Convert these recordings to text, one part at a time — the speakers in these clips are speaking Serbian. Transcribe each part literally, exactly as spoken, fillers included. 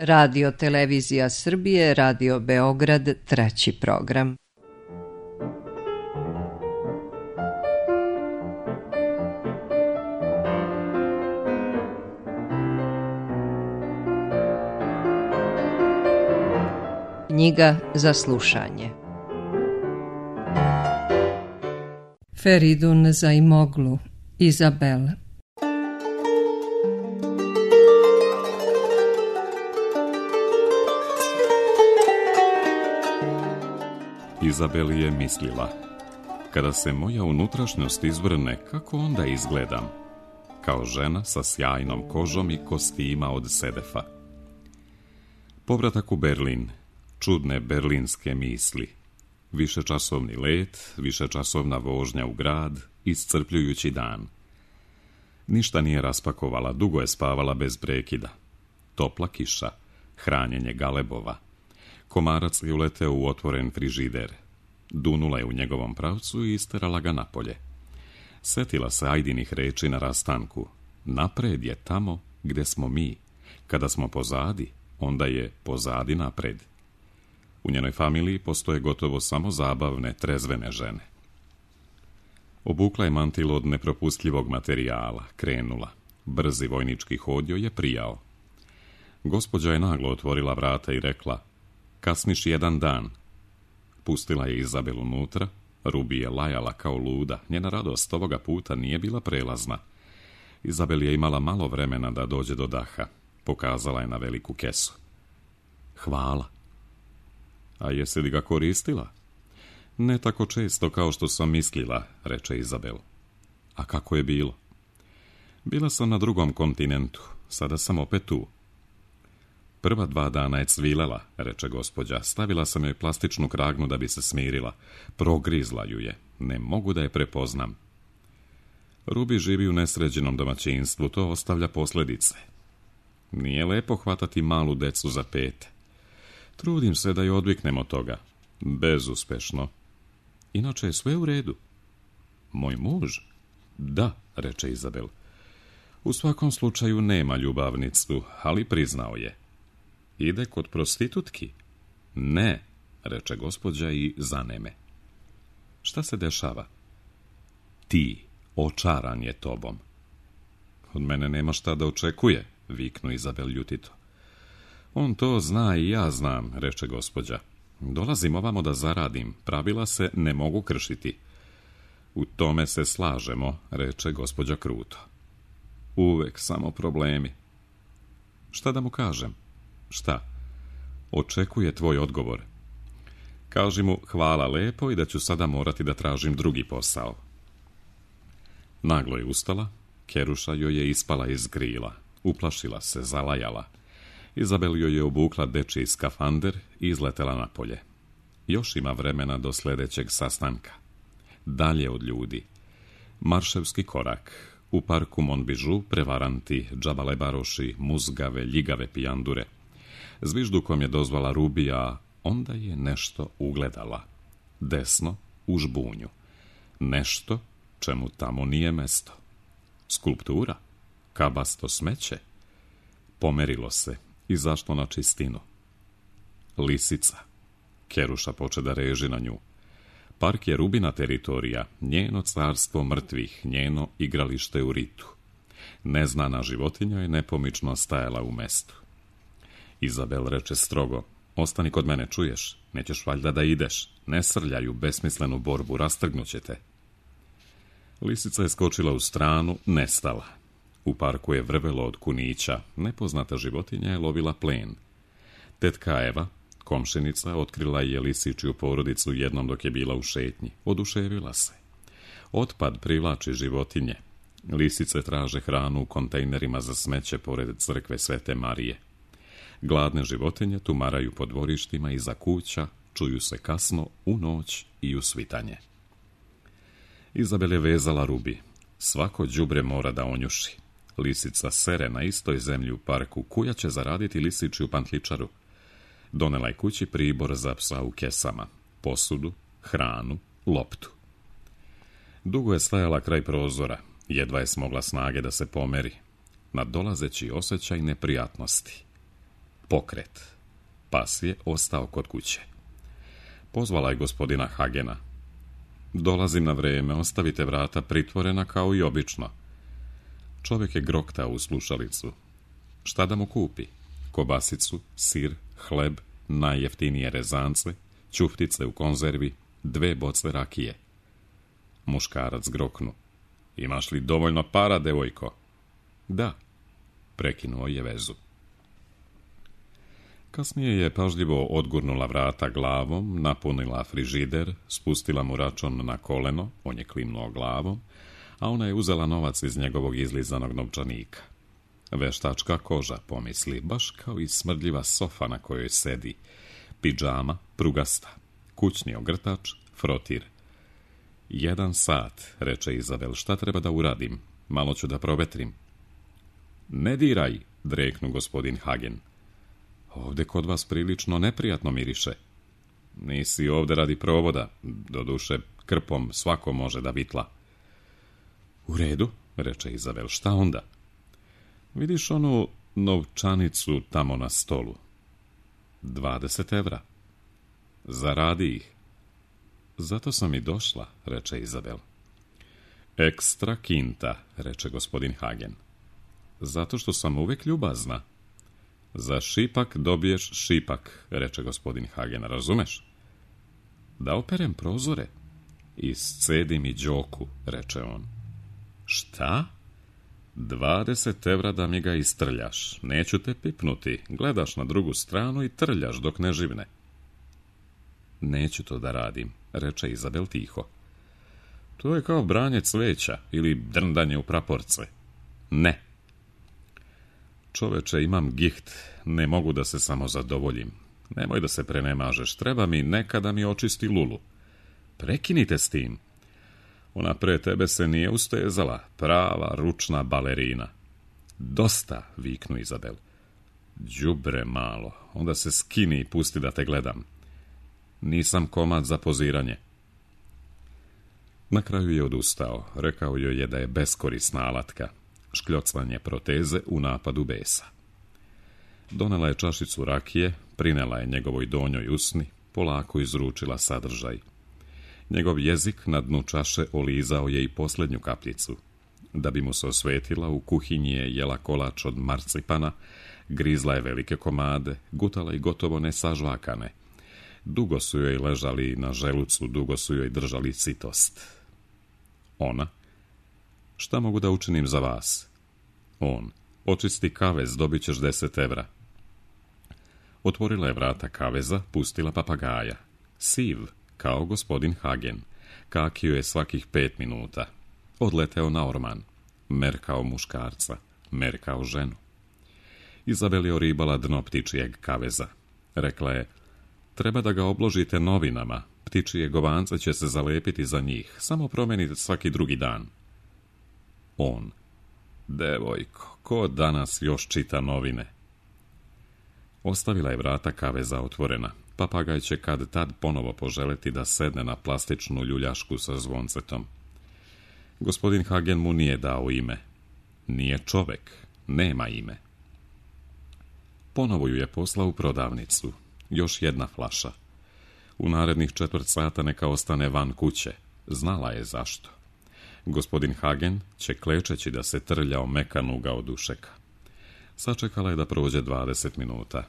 Radio Televizija Srbije, Radio Beograd, treći program. Knjiga za slušanje. Feridun Zaimoglu, Izabel. Izabel je mislila, kada se moja unutrašnjost izvrne, kako onda izgledam? Kao žena sa sjajnom kožom i kostima od sedefa. Povratak u Berlin, čudne berlinske misli. Višečasovni let, višečasovna vožnja u grad, iscrpljujući dan. Ništa nije raspakovala, dugo je spavala bez prekida. Topla kiša, hranjenje galebova. Komarac je uleteo u otvoren frižider. Dunula je u njegovom pravcu i isterala ga napolje. Setila se Ajdinih reči na rastanku. Napred je tamo gde smo mi. Kada smo pozadi, onda je pozadi napred. U njenoj familiji postoje gotovo samo zabavne, trezvene žene. Obukla je mantil od nepropustljivog materijala, krenula. Brzi vojnički hod joj je prijao. Gospođa je naglo otvorila vrata i rekla: "Kasniš jedan dan." Pustila je Izabel unutra. Rubi je lajala kao luda. Njena radost ovoga puta nije bila prelazna. Izabel je imala malo vremena da dođe do daha. Pokazala je na veliku kesu. "Hvala." "A jesi li ga koristila?" "Ne tako često kao što sam mislila," reče Izabel. "A kako je bilo?" "Bila sam na drugom kontinentu, sada sam opet tu." "Prva dva dana je cvilela," reče gospođa. "Stavila sam joj plastičnu kragnu da bi se smirila. Progrizla ju je. Ne mogu da je prepoznam." Rubi živi u nesređenom domaćinstvu, to ostavlja posljedice. Nije lepo hvatati malu decu za pete. Trudim se da je odviknem od toga. Bezuspešno. Inače je sve u redu. "Moj muž?" "Da," reče Izabel. "U svakom slučaju nema ljubavnicu, ali priznao je." "Ide kod prostitutki?" "Ne," reče gospođa i zaneme. "Šta se dešava?" "Ti, očaran je tobom." "Od mene nema šta da očekuje," viknu Izabel ljutito. "On to zna i ja znam," reče gospođa. "Dolazim ovamo da zaradim, pravila se ne mogu kršiti." "U tome se slažemo," reče gospođa kruto. "Uvek samo problemi." "Šta da mu kažem?" "Šta?" "Očekuje tvoj odgovor." "Kaži mu hvala lepo i da ću sada morati da tražim drugi posao." Naglo je ustala, keruša joj je ispala iz grila. Uplašila se, zalajala. Izabel joj je obukla dečiji skafander i izletela napolje. Još ima vremena do sljedećeg sastanka. Dalje od ljudi. Marševski korak. U parku Monbižu prevaranti, džabalebaroši, muzgave, ljigave pijandure. Zviždukom je dozvala Rubija, onda je nešto ugledala. Desno, u žbunju. Nešto čemu tamo nije mesto. Skulptura? Kabasto smeće? Pomerilo se, izašlo na čistinu. Lisica. Keruša poče da reži na nju. Park je Rubina teritorija, njeno carstvo mrtvih, njeno igralište u ritu. Neznana životinja je nepomično stajala u mestu. Izabel reče strogo: "Ostani kod mene, čuješ? Nećeš valjda da ideš. Ne srljaj u besmislenu borbu, rastrgnuće te." Lisica je skočila u stranu, nestala. U parku je vrvelo od kunića, nepoznata životinja je lovila plen. Tetka Eva, komšinica, otkrila je lisičju porodicu jednom dok je bila u šetnji. Oduševila se. Otpad privlači životinje. Lisice traže hranu u kontejnerima za smeće pored crkve Svete Marije. Gladne životinje tumaraju po dvorištima iza kuća, čuju se kasno, u noć i u svitanje. Izabel je vezala Rubi. Svako đubre mora da onjuši. Lisica sere na istoj zemlji u parku, kuja će zaraditi lisičju pantličaru. Donela je kući pribor za psa u kesama, posudu, hranu, loptu. Dugo je stajala kraj prozora, jedva je smogla snage da se pomeri. Nadolazeći osjećaj neprijatnosti. pokret. Pas je ostao kod kuće. Pozvala je gospodina Hagena. Dolazim na vreme, ostavite vrata pritvorena kao i obično. Čovjek je groktao u slušalicu. Šta da mu kupi? Kobasicu, sir, hleb, najjeftinije rezance, ćuftice u konzervi, dve boce rakije. Muškarac groknu. Imaš li dovoljno para, devojko? Da, prekinuo je vezu. Kasnije je pažljivo odgurnula vrata glavom, napunila frižider, spustila mu račun na koleno, on je klimnuo glavom, a ona je uzela novac iz njegovog izlizanog novčanika. Veštačka koža, pomisli, baš kao i smrdljiva sofa na kojoj sedi, pidžama, prugasta, kućni ogrtač, frotir. Jedan sat, reče Izabel, šta treba da uradim? Malo ću da provetrim. Ne diraj, dreknu gospodin Hagen. Ovde kod vas prilično neprijatno miriše. Nisi ovde radi provoda, doduše krpom svako može da vitla. U redu, reče Izabel, šta onda? Vidiš onu novčanicu tamo na stolu? Dvadeset evra. Zaradi ih. Zato sam i došla, reče Izabel. Ekstra kinta, reče gospodin Hagen. Zato što sam uvek ljubazna. Za šipak dobiješ šipak, reče gospodin Hagen, razumeš? Da operem prozore. Iscedi mi đoku, reče on. Šta? Dvadeset evra da mi ga istrljaš. Neću te pipnuti. Gledaš na drugu stranu i trljaš dok ne živne. Neću to da radim, reče Izabel tiho. To je kao branje cveća ili drndanje u praporce. Ne. Čoveče, imam giht, ne mogu da se samo zadovoljim. Nemoj da se prenemažeš, treba mi nekada mi očisti lulu. Prekinite s tim. Ona pre tebe se nije ustezala, prava ručna balerina. Dosta, viknu Izabel. Đubre malo, onda se skini i pusti da te gledam. Nisam komad za poziranje. Na kraju je odustao, rekao joj je da je beskorisna alatka. Škljocvanje proteze u napadu besa. Donela je čašicu rakije, prinela je njegovoj donjoj usni, polako izručila sadržaj. Njegov jezik na dnu čaše olizao je i posljednju kapljicu. Da bi mu se osvetila, u kuhinji je jela kolač od marcipana, grizla je velike komade, gutala i gotovo nesažvakane. Dugo su joj ležali na želucu, dugo su joj držali sitost. Ona: šta mogu da učinim za vas? On: očisti kavez, dobit ćeš deset evra. Otvorila je vrata kaveza, pustila papagaja. Siv, kao gospodin Hagen. Kakio je svakih pet minuta. Odleteo na orman. Merkao muškarca. Merkao ženu. Izabel je oribala dno ptičijeg kaveza. Rekla je: treba da ga obložite novinama. Ptičije govance će se zalepiti za njih. Samo promenite svaki drugi dan. On: devojko, ko danas još čita novine? Ostavila je vrata kaveza otvorena. Papagaj će kad tad ponovo poželeti da sedne na plastičnu ljuljašku sa zvoncetom. Gospodin Hagen mu nije dao ime. Nije čovek, nema ime. Ponovo ju je poslao u prodavnicu. Još jedna flaša. U narednih četvrt sata neka ostane van kuće. Znala je zašto. Gospodin Hagen će klečeći da se trlja o mekan ugao dušeka. Sačekala je da prođe dvadeset minuta.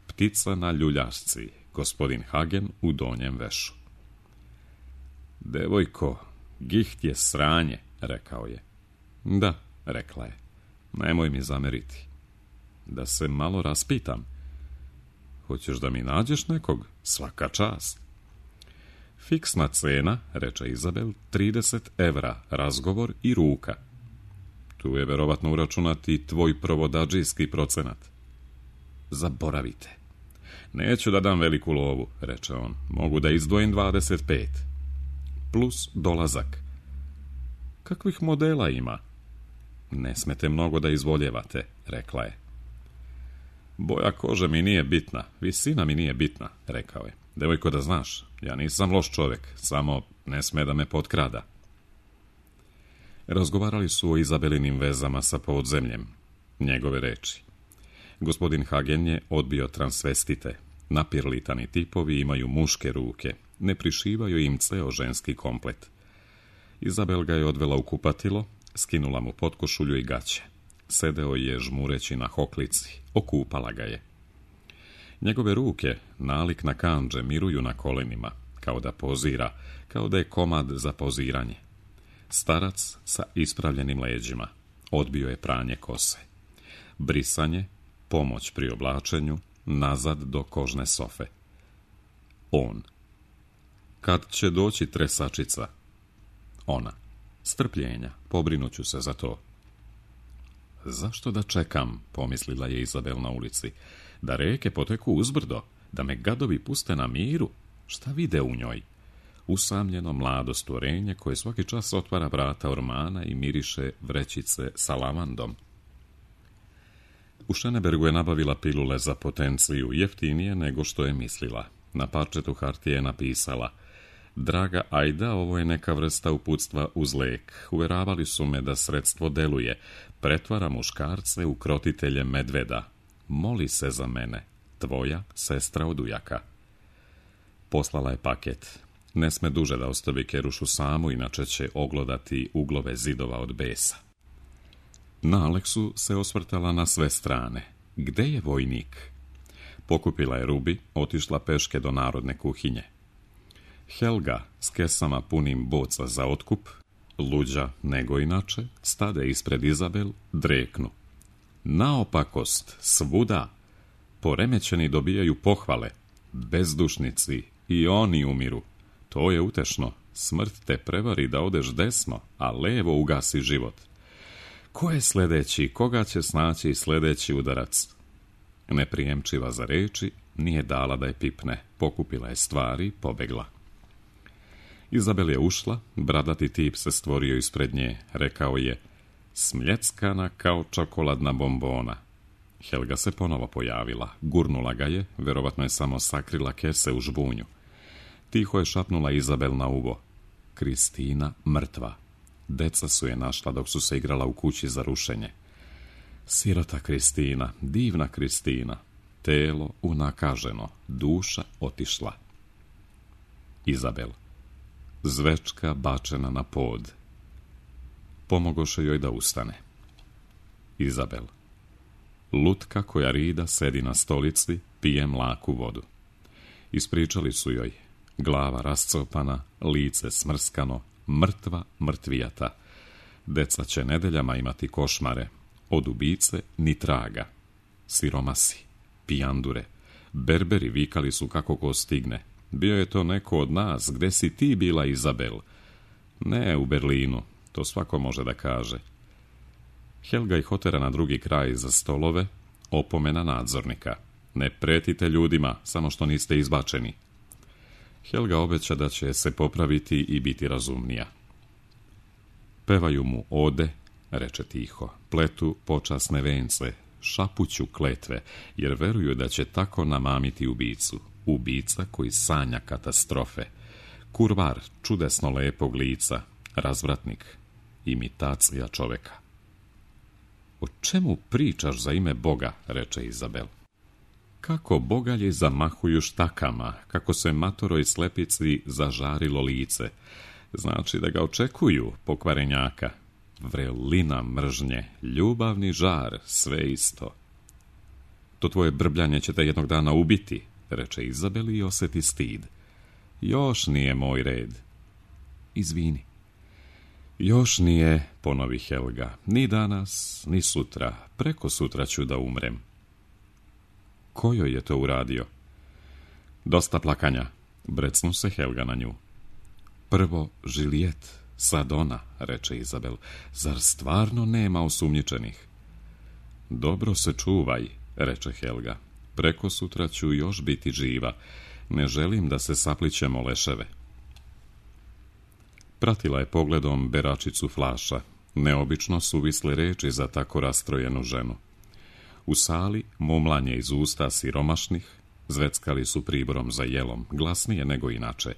Ptica na ljuljašci, gospodin Hagen u donjem vešu. Devojko, giht je sranje, rekao je. Da, rekla je. Nemoj mi zameriti. Da se malo raspitam. Hoćeš da mi nađeš nekog? Svaka čast. Fiksna cena, reče Izabel, trideset evra, razgovor i ruka. Tu je verovatno uračunati tvoj provodadžijski procenat. Zaboravite. Neću da dam veliku lovu, reče on. Mogu da izdvojim dvadeset pet. Plus dolazak. Kakvih modela ima? Ne smete mnogo da izvoljevate, rekla je. Boja kože mi nije bitna, visina mi nije bitna, rekao je. Devojko, da znaš, ja nisam loš čovjek, samo ne sme da me potkrada. Razgovarali su o Izabelinim vezama sa podzemljem. Njegove reči. Gospodin Hagen je odbio transvestite. Napirlitani tipovi imaju muške ruke, ne prišivaju im ceo ženski komplet. Izabel ga je odvela u kupatilo, skinula mu potkošulju i gaće. Sedeo je žmureći na hoklici, okupala ga je. Njegove ruke, nalik na kandže, miruju na kolenima, kao da pozira, kao da je komad za poziranje. Starac sa ispravljenim leđima, odbio je pranje kose. Brisanje, pomoć pri oblačenju, nazad do kožne sofe. On. Kad će doći tresačica? Ona. Strpljenja, pobrinuću se za to. Zašto da čekam, pomislila je Izabel na ulici, da reke poteku uzbrdo, da me gadovi puste na miru? Šta vide u njoj? Usamljeno mlado stvorenje koje svaki čas otvara vrata ormana i miriše vrećice sa lavandom. U Šenebergu je nabavila pilule za potenciju, jeftinije nego što je mislila. Na parčetu hartije je napisala: Draga Ajda, ovo je neka vrsta uputstva uz lek. Uveravali su me da sredstvo deluje. Pretvara muškarce u krotitelje medveda. Moli se za mene. Tvoja sestra od ujaka. Poslala je paket. Ne sme duže da ostavi Kerušu samu, inače će oglodati uglove zidova od besa. Na Aleksu se osvrtala na sve strane. Gde je vojnik? Pokupila je rubi, otišla peške do narodne kuhinje. Helga s kesama punim boca za otkup, luđa nego inače, stade ispred Izabel, dreknu. Naopakost, svuda. Poremećeni dobijaju pohvale. Bezdušnici, i oni umiru. To je utešno. Smrt te prevari da odeš desno, a levo ugasi život. Ko je sledeći, koga će snaći sledeći udarac? Neprijemčiva za reči, nije dala da je pipne. Pokupila je stvari, pobegla. Izabel je ušla, bradati tip se stvorio ispred nje. Rekao je: smljeckana kao čokoladna bombona. Helga se ponovo pojavila, gurnula ga je, verovatno je samo sakrila kese u žbunju. Tiho je šapnula Izabel na uvo: Kristina mrtva. Deca su je našla dok su se igrala u kući za rušenje. Sirota Kristina, divna Kristina. Telo unakaženo, duša otišla. Izabel. Zvečka bačena na pod. Pomogoše joj da ustane. Izabel. Lutka koja rida sedi na stolici, pije mlaku vodu. Ispričali su joj. Glava rascopana, lice smrskano, mrtva mrtvijata. Deca će nedeljama imati košmare. Od ubice ni traga. Siromasi, pijandure, berberi vikali su kako ko stigne. Bio je to neko od nas, gde si ti bila, Izabel? Ne, u Berlinu, to svako može da kaže. Helga ih otera na drugi kraj za stolove, opomena nadzornika. Ne pretite ljudima, samo što niste izbačeni. Helga obeća da će se popraviti i biti razumnija. Pevaju mu ode, reče tiho, pletu počasne vence, šapuću kletve, jer veruju da će tako namamiti ubicu. Ubica koji sanja katastrofe. Kurvar čudesno lepog lica, razvratnik, imitacija čoveka. O čemu pričaš za ime Boga, reče Izabel. Kako bogalji zamahuju štakama, kako se matoroj slepici zažarilo lice. Znači da ga očekuju, pokvarenjaka. Vrelina mržnje, ljubavni žar, sve isto. To tvoje brbljanje će te jednog dana ubiti, reče Izabel i oseti stid. Još nije moj red. Izvini. Još nije, ponovi Helga, ni danas, ni sutra, preko sutra ću da umrem. Ko joj je to uradio? Dosta plakanja, brecnu se Helga na nju. Prvo Žilijet, sad ona, reče Izabel, zar stvarno nema osumnjičenih? Dobro se čuvaj, reče Helga, preko sutra ću još biti živa, ne želim da se saplićemo leševe. Pratila je pogledom beračicu flaša, neobično suvisle reči za tako rastrojenu ženu. U sali mumlanje iz usta siromašnih, zveckali su priborom za jelom, glasnije nego inače,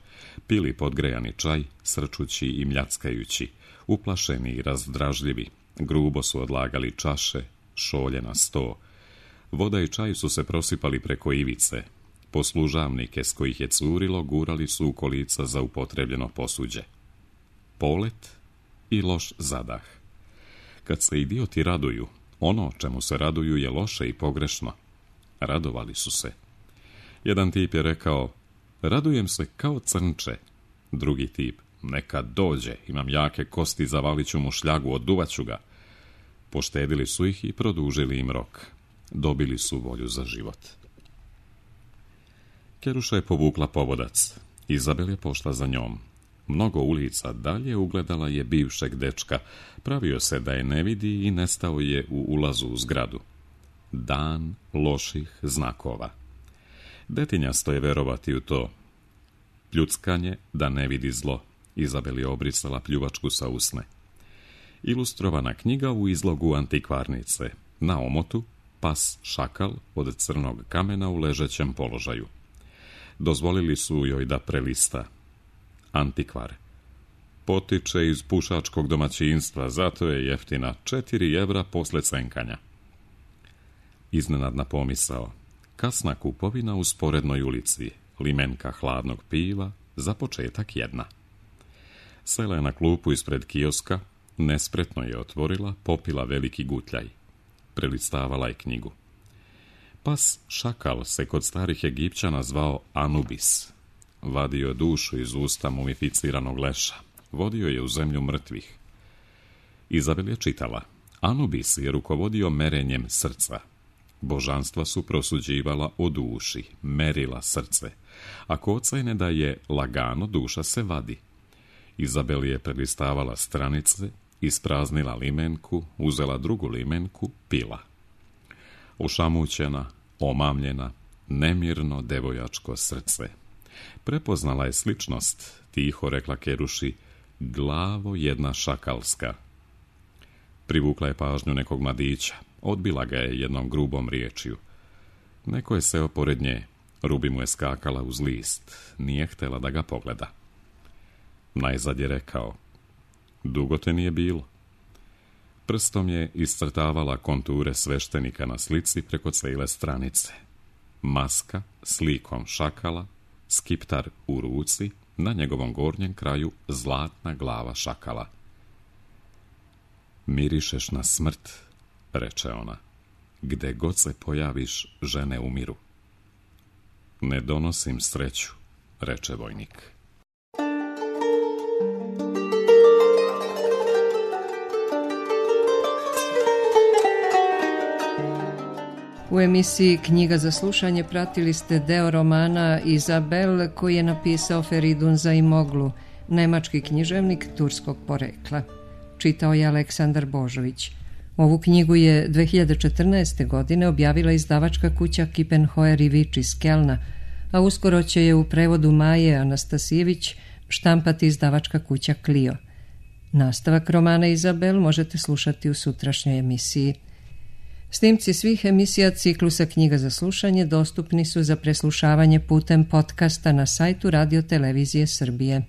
pili podgrejani čaj, srčući i mljackajući, uplašeni i razdražljivi, grubo su odlagali čaše, šolje na sto. Voda i čaj su se prosipali preko ivice. Poslužavnike s kojih je curilo gurali su u kolica za upotrebljeno posuđe. Polet i loš zadah. Kad se idioti raduju, ono čemu se raduju je loše i pogrešno. Radovali su se. Jedan tip je rekao, radujem se kao crnče. Drugi tip, neka dođe, imam jake kosti, zavalit ću mu šljagu, oduvaću ga. Poštedili su ih i produžili im rok. Dobili su volju za život. Keruša je povukla povodac. Izabel je pošla za njom. Mnogo ulica dalje ugledala je bivšeg dečka. Pravio se da je ne vidi i nestao je u ulazu u zgradu. Dan loših znakova. Detinjasto je verovati u to. Pljuckanje da ne vidi zlo. Izabel je obrisala pljuvačku sa usne. Ilustrovana knjiga u izlogu antikvarnice. Na omotu pas šakal od crnog kamena u ležećem položaju. Dozvolili su joj da prelista. Antikvar. Potiče iz pušačkog domaćinstva, zato je jeftina, četiri evra posle cenkanja. Iznenadna pomisao. Kasna kupovina u sporednoj ulici, limenka hladnog piva, za početak jedna. Sela je na klupu ispred kioska, nespretno je otvorila, popila veliki gutljaj. Prelistavala je knjigu. Pas šakal se kod starih Egipćana zvao Anubis. Vadio dušu iz usta mumificiranog leša. Vodio je u zemlju mrtvih. Izabel je čitala. Anubis je rukovodio merenjem srca. Božanstva su prosuđivala o duši, merila srce. Ako ocene da je lagano, duša se vadi. Izabel je prelistavala stranice, ispraznila limenku, uzela drugu limenku, pila. Ošamućena, omamljena, nemirno devojačko srce. Prepoznala je sličnost, tiho rekla Keruši, glavo jedna šakalska. Privukla je pažnju nekog mladića, odbila ga je jednom grubom riječju. Neko je seo pored nje, rubi mu je skakala uz list, nije htjela da ga pogleda. Najzad je rekao, dugo te nije bilo. Prstom je iscrtavala konture sveštenika na slici preko cijele stranice. Maska s likom šakala, skiptar u ruci, na njegovom gornjem kraju zlatna glava šakala. Mirišeš na smrt, reče ona. Gde god se pojaviš, žene umiru. Ne donosim sreću, reče vojnik. U emisiji Knjiga za slušanje pratili ste deo romana Izabel koji je napisao Feridun Zaimoglu, nemački književnik turskog porekla. Čitao je Aleksandar Božović. Ovu knjigu je dve hiljade četrnaeste. godine objavila izdavačka kuća Kippenhoer i Vič iz Kelna, a uskoro će je u prevodu Maje Anastasijević štampati izdavačka kuća Clio. Nastavak romana Izabel možete slušati u sutrašnjoj emisiji. Snimci svih emisija ciklusa Knjiga za slušanje dostupni su za preslušavanje putem podcasta na sajtu Radio Televizije Srbije.